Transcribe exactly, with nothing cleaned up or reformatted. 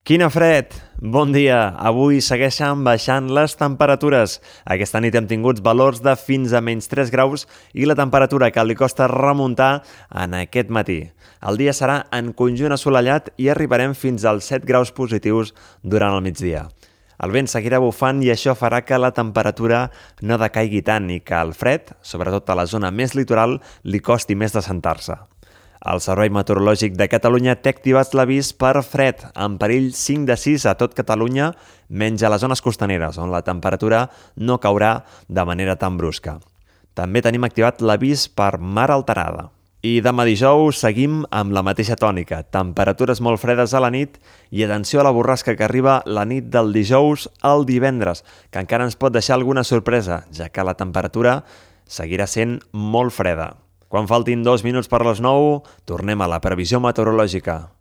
Quina fred! Bon dia! Avui segueixen baixant les temperatures. Aquesta nit hem tingut valors de fins a menys tres graus i la temperatura que li costa remuntar en aquest matí. El dia serà en conjunt assolellat i arribarem fins als set graus positius durant el migdia. El vent seguirà bufant i això farà que la temperatura no decaigui tant i que el fred, sobretot a la zona més litoral, li costi més d'assentar-se. El Servei Meteorològic de Catalunya té activat l'avís per fred, en perill cinc de sis a tot Catalunya, menys a les zones costaneres, on la temperatura no caurà de manera tan brusca. També tenim activat l'avís per mar alterada. I demà dijous seguim amb la mateixa tònica, temperatures molt fredes a la nit i atenció a la borrasca que arriba la nit del dijous al divendres, que encara ens pot deixar alguna sorpresa, ja que la temperatura seguirà sent molt freda. Quan faltin dos minuts per les nou, tornem a la previsió meteorològica.